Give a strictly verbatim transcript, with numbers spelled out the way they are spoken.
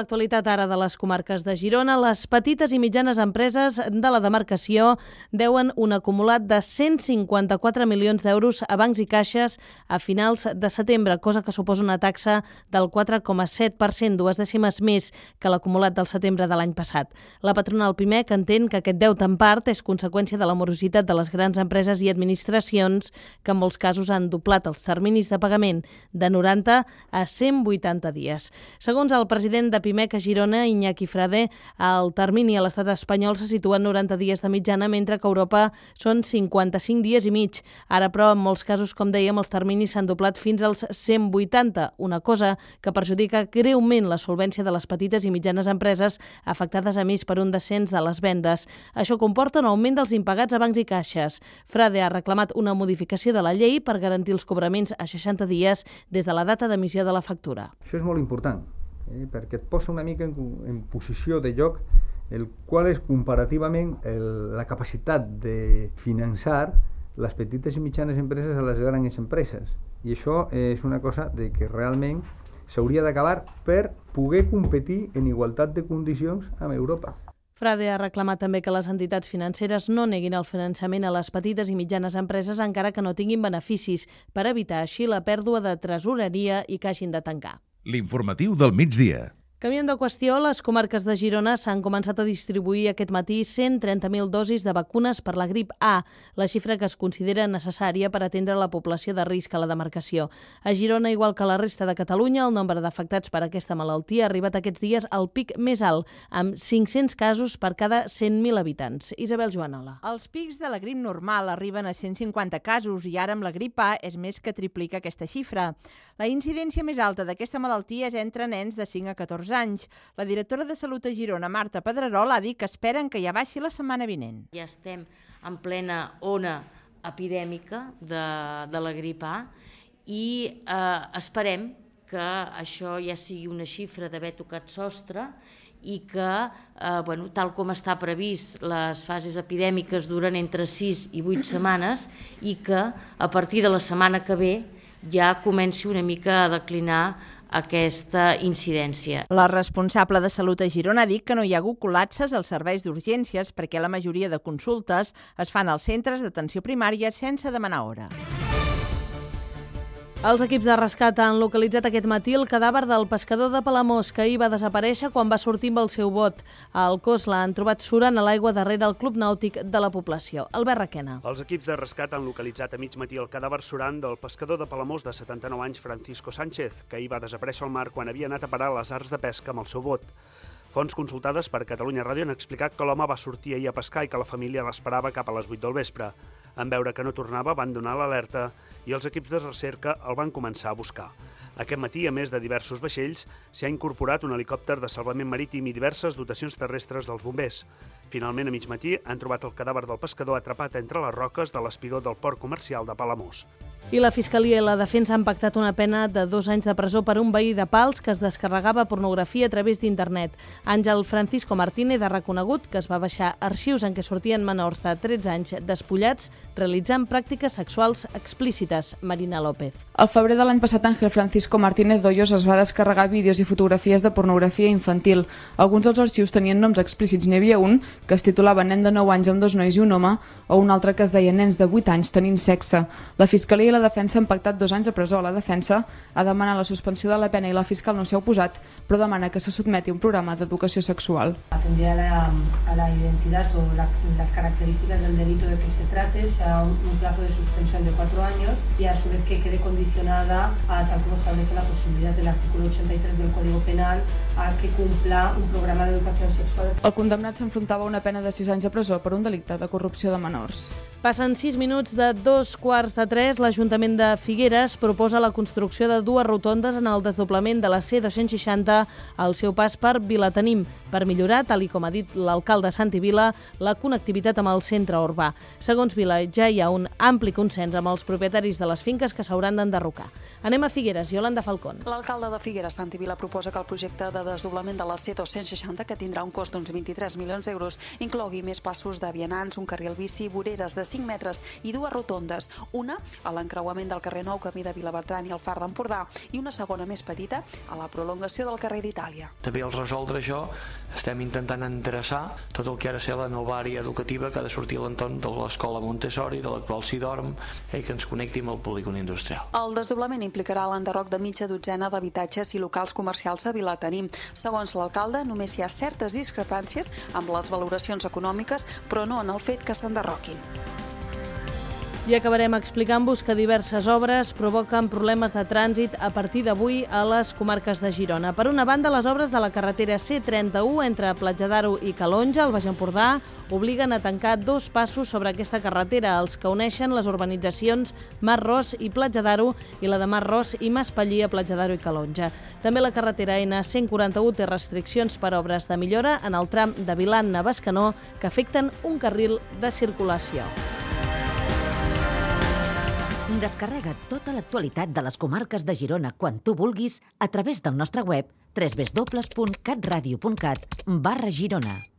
L'actualitat ara de les comarques de Girona, les petites i mitjanes empreses de la demarcació deuen un acumulat de cent cinquanta-quatre milions d'euros a bancs i caixes a finals de setembre, cosa que suposa una taxa del quatre coma set per cent, dues dècimes més que l'acumulat del setembre de l'any passat. La patronal Pimec entén que aquest deute en part és conseqüència de la morositat de les grans empreses i administracions que en molts casos han doblat els terminis de pagament de noranta a cent vuitanta dies. Segons el president de Pimec a Girona, Iñaki Frade, el termini a l'estat espanyol se situa en noranta dies de mitjana, mentre que a Europa són cinquanta-cinc dies i mig. Ara, però, en molts casos, com dèiem, els terminis s'han doblat fins als cent vuitanta, una cosa que perjudica greument la solvència de les petites i mitjanes empreses afectades a més per un descens de les vendes. Això comporta un augment dels impagats a bancs i caixes. Frade ha reclamat una modificació de la llei per garantir els cobraments a seixanta dies des de la data d'emissió de la factura. Això és molt important. Eh, perquè et posa una mica en, en posició de lloc el qual és comparativament el, la capacitat de finançar les petites i mitjanes empreses a les grans empreses. I això és una cosa de que realment s'hauria d'acabar per poder competir en igualtat de condicions amb Europa. Frade ha reclamat també que les entitats financeres no neguin el finançament a les petites i mitjanes empreses encara que no tinguin beneficis, per evitar així la pèrdua de tresoreria i que hagin de tancar. L'informatiu del migdia. Canviant de qüestió, les comarques de Girona s'han començat a distribuir aquest matí cent trenta mil dosis de vacunes per la grip A, la xifra que es considera necessària per atendre la població de risc a la demarcació. A Girona, igual que a la resta de Catalunya, el nombre d'afectats per aquesta malaltia ha arribat aquests dies al pic més alt, amb cinc-cents casos per cada cent mil habitants. Isabel Joanola. Els pics de la grip normal arriben a cent cinquanta casos i ara amb la grip A és més que triplica aquesta xifra. La incidència més alta d'aquesta malaltia és entre nens de cinc a catorze anys. La directora de Salut a Girona, Marta Pedrerol, ha dit que esperen que ja baixi la setmana vinent. Ja estem en plena ona epidèmica de, de la grip A i eh, esperem que això ja sigui una xifra d'haver tocat sostre i que, eh, bueno, tal com està previst, les fases epidèmiques duren entre sis i vuit setmanes i que a partir de la setmana que ve ja comenci una mica a declinar aquesta incidència. La responsable de Salut a Girona ha dit que no hi ha hagut col·lapses als serveis d'urgències perquè la majoria de consultes es fan als centres d'atenció primària sense demanar hora. Els equips de rescat han localitzat aquest matí el cadàver del pescador de Palamós, que ahir va desaparèixer quan va sortir amb el seu bot. El cos l'han trobat surant a l'aigua darrere el club nàutic de la població. Albert Requena. Els equips de rescat han localitzat a mig matí el cadàver surant del pescador de Palamós de setanta-nou anys, Francisco Sánchez, que ahir va desaparèixer al mar quan havia anat a parar a les arts de pesca amb el seu bot. Fonts consultades per Catalunya Ràdio han explicat que l'home va sortir ahir a pescar i que la família l'esperava cap a les vuit del vespre. En veure que no tornava, van donar l'alerta i els equips de recerca el van començar a buscar. Aquest matí, a més de diversos vaixells, s'hi ha incorporat un helicòpter de salvament marítim i diverses dotacions terrestres dels bombers. Finalment, a mig matí, han trobat el cadàver del pescador atrapat entre les roques de l'espigó del port comercial de Palamós. I la Fiscalia i la Defensa han pactat una pena de dos anys de presó per un veí de Pals que es descarregava pornografia a través d'internet. Àngel Francisco Martínez ha reconegut que es va baixar arxius en què sortien menors de tretze anys despullats realitzant pràctiques sexuals explícites. Marina López. Al febrer de l'any passat, Ángel Francisco Martínez Doyos es va descarregar vídeos i fotografies de pornografia infantil. Alguns dels arxius tenien noms explícits. N'hi havia un que es titulava Nen de nou anys amb dos nois i un home, o un altre que es deia Nens de vuit anys tenint sexe. La Fiscalia i la Defensa han pactat dos anys de presó. La Defensa ha demanat la suspensió de la pena i la fiscal no s'hi ha oposat, però demana que se sotmeti a un programa d'educació sexual. Atender a la, a la identidad o la, las características del delito de que se trate, sea un, un plazo de suspensión de cuatro años y a su vez que quede condicionada a tal como establece la posibilidad del artículo ochenta y tres del Código Penal a que cumpla un programa d'educació sexual. El condemnat s'enfrontava a una pena de sis anys de presó per un delicte de corrupció de menors. Passen sis minuts de dos quarts de tres. L'Ajuntament de Figueres proposa la construcció de dues rotondes en el desdoblament de la C dos-cents seixanta al seu pas per Vilatenim, per millorar, tal i com ha dit l'alcalde Santi Vila, la connectivitat amb el centre urbà. Segons Vila, ja hi ha un ampli consens amb els propietaris de les finques que s'hauran d'enderrocar. Anem a Figueres, Yolanda Falcón. L'alcalde de Figueres, Santi Vila, proposa que el projecte de desdoblament de la C dos-cents seixanta, que tindrà un cost d'uns vint-i-tres milions d'euros, inclogui més passos de vianants, un carril bici, voreres de cinc metres i dues rotondes, una a l'encontre l'encreuament del carrer Nou, camí de Vilabertran i el Far d'Empordà, i una segona més petita a la prolongació del carrer d'Itàlia. També al resoldre això estem intentant endreçar tot el que ha de ser la nova àrea educativa que ha de sortir a l'entorn de l'escola Montessori, de l'actual Sidorm, i que ens connecti amb el polígon industrial. El desdoblament implicarà l'enderroc de mitja dotzena d'habitatges i locals comercials a Vilatenim. Segons l'alcalde, només hi ha certes discrepàncies amb les valoracions econòmiques, però no en el fet que s'enderroquin. I acabarem explicant-vos que diverses obres provoquen problemes de trànsit a partir d'avui a les comarques de Girona. Per una banda, les obres de la carretera C trenta-u entre Platja d'Aro i Calonja, al Baix Empordà, obliguen a tancar dos passos sobre aquesta carretera, els que uneixen les urbanitzacions Mas Ros i Platja d'Aro i la de Mas Ros i Maspallí a Platja d'Aro i Calonja. També la carretera N cent quaranta-u té restriccions per obres de millora en el tram de Vilanna a Bescanó que afecten un carril de circulació. Descarrega tota l'actualitat de les comarques de Girona quan tu vulguis a través del nostre web doble u doble u doble u punt catradio punt cat barra Girona.